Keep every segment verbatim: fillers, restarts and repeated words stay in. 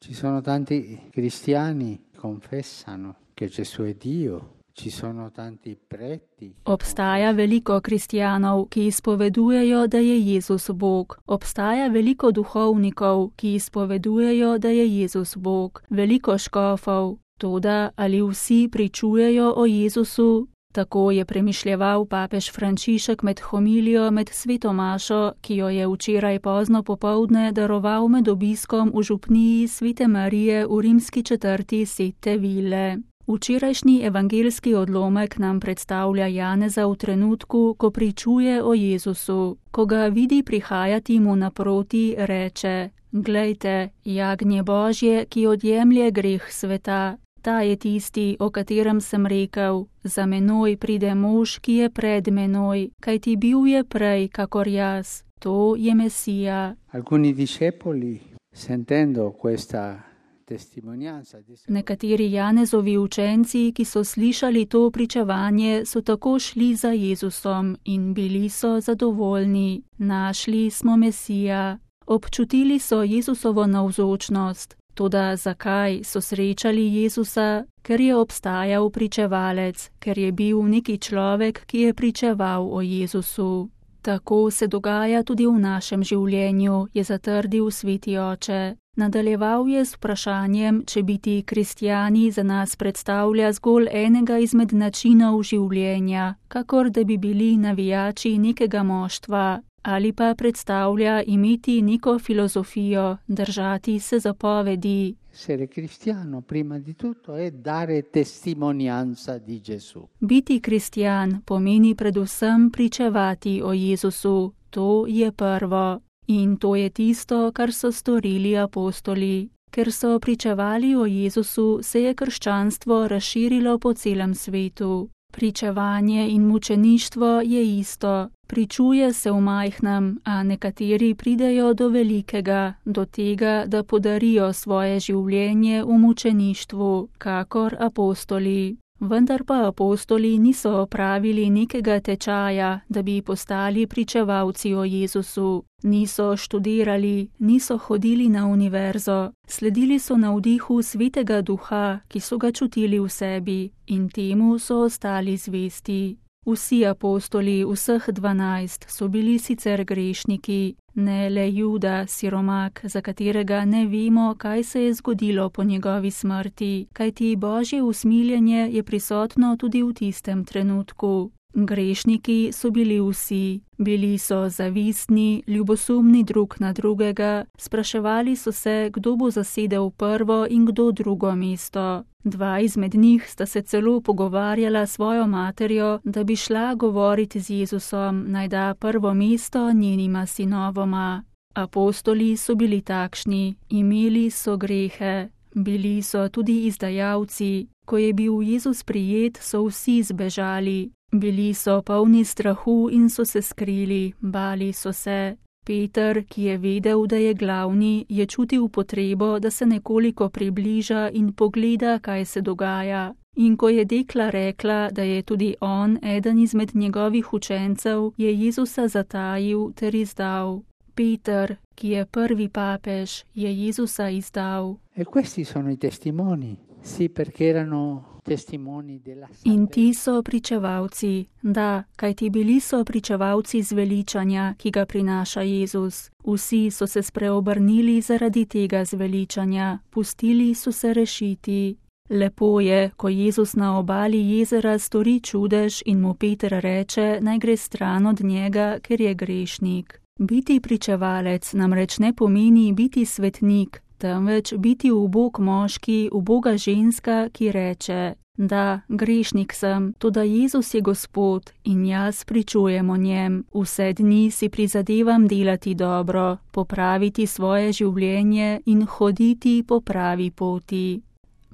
Ci sono tanti cristiani che confessano che Gesù è Dio. Ci sono tanti preti. Obstaja veliko kristjanov, ki izpovedujejo, da je Jezus Bog. Obstaja veliko duhovnikov, ki izpovedujejo, da je Jezus Bog. Veliko škofov. Toda ali vsi pričujejo o Jezusu? Tako je premišljeval papež Frančišek med homilijo med sveto mašo, ki jo je včeraj pozno popoldne daroval med obiskom v župniji Svete Marije v rimski četrti Sette Ville. Včerajšnji evangeljski odlomek nam predstavlja Janeza v trenutku, ko pričuje o Jezusu. Ko ga vidi prihajati mu naproti, reče: Glejte, jagnje Božje, ki odjemlje greh sveta. Ta je tisti, o katerem sem rekel: za menoj pride mož, ki je pred menoj, kajti bil je prej kakor jaz. To je Mesija. Alcuni discepoli, sentendo questa Nekateri Janezovi učenci, ki so slišali to pričevanje, so tako šli za Jezusom in bili so zadovoljni. Našli smo Mesija. Občutili so Jezusovo navzočnost. Toda zakaj so srečali Jezusa? Ker je obstajal pričevalec, ker je bil neki človek, ki je pričeval o Jezusu. Tako se dogaja tudi v našem življenju, je zatrdil sveti oče. Nadaljeval je s vprašanjem, če biti kristjani za nas predstavlja zgolj enega izmed načinov življenja, kakor da bi bili navijači nekega moštva, ali pa predstavlja imeti neko filozofijo, držati se zapovedi. Essere cristiano prima di tutto è dare testimonianza di Gesù. Biti kristjan pomeni predvsem pričevati o Jezusu, to je prvo. In to je tisto, kar so storili apostoli. Ker so pričevali o Jezusu, se je krščanstvo razširilo po celem svetu. Pričevanje in mučeništvo je isto. Pričuje se v majhnem, a nekateri pridejo do velikega, do tega, da podarijo svoje življenje v mučeništvu, kakor apostoli. Vendar pa apostoli niso opravili nekega tečaja, da bi postali pričevalci o Jezusu. Niso študirali, niso hodili na univerzo, sledili so navdihu Svetega Duha, ki so ga čutili v sebi, in temu so ostali zvesti. Vsi apostoli, vseh dvanajst, so bili sicer grešniki, ne le Juda, siromak, za katerega ne vemo, kaj se je zgodilo po njegovi smrti, kajti Božje usmiljenje je prisotno tudi v tistem trenutku. Grešniki so bili vsi, bili so zavistni, ljubosumni drug na drugega, spraševali so se, kdo bo zasedel prvo in kdo drugo mesto. Dva izmed njih sta se celo pogovarjala s svojo materjo, da bi šla govoriti z Jezusom, naj da prvo mesto njenima sinovoma. Apostoli so bili takšni, imeli so grehe, bili so tudi izdajalci. Ko je bil Jezus prijet, so vsi zbežali. Bili so polni strahu in so se skrili, bali so se. Peter, ki je vedel, da je glavni, je čutil potrebo, da se nekoliko približa in pogleda, kaj se dogaja. In ko je dekla rekla, da je tudi on eden izmed njegovih učencev, je Jezusa zatajil ter izdal. Peter, ki je prvi papež, je Jezusa izdal. E questi sono i testimoni, sì, perché erano testimoni della salvezza. In ti so pričevalci, da, kajti bili so pričevalci zveličanja, ki ga prinaša Jezus. Vsi so se spreobrnili zaradi tega zveličanja, pustili so se rešiti. Lepo je, ko Jezus na obali jezera stori čudež in mu Peter reče, naj gre stran od njega, ker je grešnik. Biti pričevalec namreč ne pomeni biti svetnik, temveč biti ubog moški, uboga ženska, ki reče, da, grešnik sem, toda Jezus je Gospod in jaz pričujem o njem. Vse dni si prizadevam delati dobro, popraviti svoje življenje in hoditi po pravi poti.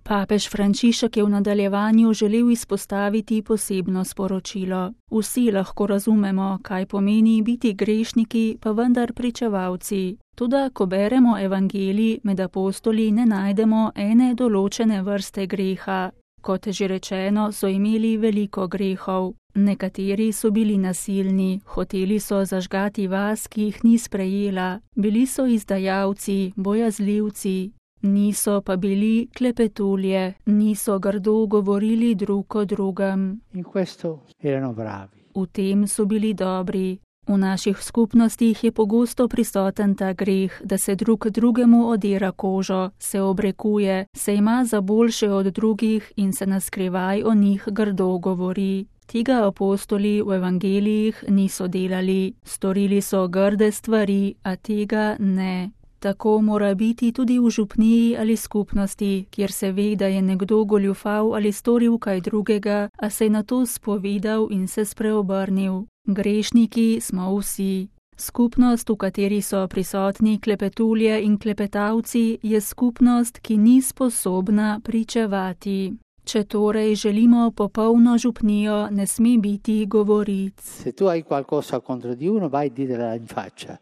Papež Frančišek je v nadaljevanju želel izpostaviti posebno sporočilo. Vsi lahko razumemo, kaj pomeni biti grešniki, pa vendar pričevalci. Toda, ko beremo evangelij, med apostoli ne najdemo ene določene vrste greha. Kot že rečeno, so imeli veliko grehov. Nekateri so bili nasilni, hoteli so zažgati vas, ki jih ni sprejela. Bili so izdajalci, bojazljivci. niso pa bili klepetulje, niso grdo govorili drug o drugem. In questo erano bravi. V tem so bili dobri. V naših skupnostih je pogosto prisoten ta greh, da se drug drugemu odira kožo, se obrekuje, se ima za boljše od drugih in se naskrivaj o njih grdo govori. Tega apostoli v evangelijih niso delali, storili so grde stvari, a tega ne. Tako mora biti tudi v župniji ali skupnosti, kjer se ve, da je nekdo goljufal ali storil kaj drugega, a se je nato spovedal in se spreobrnil. Grešniki smo vsi. Skupnost, v kateri so prisotni klepetulje in klepetavci, je skupnost, ki ni sposobna pričevati. Če torej želimo popolno župnijo, ne sme biti govoric. Se tu hai qualcosa contro di uno, vai dirla in faccia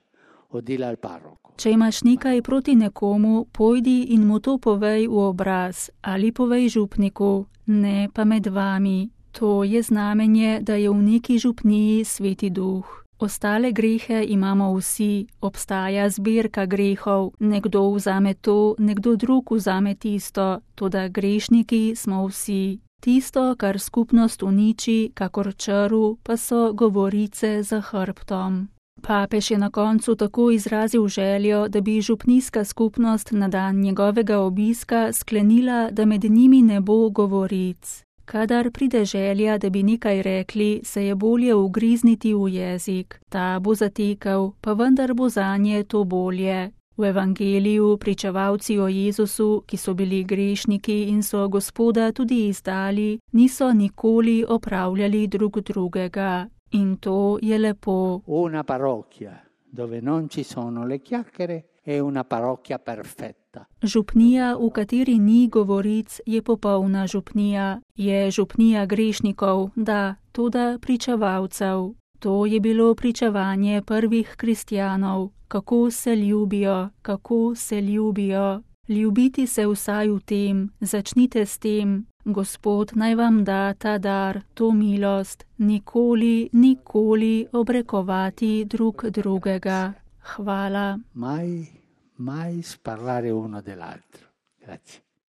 o dila al parroco. Če imaš nekaj proti nekomu, pojdi in mu to povej v obraz ali povej župniku, ne pa med vami. To je znamenje, da je v neki župniji Sveti Duh. Ostale grehe imamo vsi, obstaja zbirka grehov, nekdo vzame to, nekdo drug vzame tisto, toda grešniki smo vsi. Tisto, kar skupnost uniči, kakor črv, pa so govorice za hrbtom. Papež je na koncu tako izrazil željo, da bi župnijska skupnost na dan njegovega obiska sklenila, da med njimi ne bo govoric. Kadar pride želja, da bi nekaj rekli, se je bolje ugrizniti v jezik. Ta bo zatekel, pa vendar bo zanje to bolje. V evangeliju pričevalci o Jezusu, ki so bili grešniki in so Gospoda tudi izdali, niso nikoli opravljali drug drugega. In to je lepo. Una parrocchia dove non ci sono le chiacchiere è una parrocchia perfetta. Župnija, v kateri ni govoric, je popolna župnija. Je župnija grešnikov, da, toda pričevalcev. To je bilo pričevanje prvih kristjanov. Kako se ljubijo, kako se ljubijo. Ljubiti se vsaj v tem, začnite s tem. Gospod naj vam da ta dar, to milost, nikoli, nikoli obrekovati drug drugega. Hvala. Mai, mai sparlare uno dell'altro. Grazie.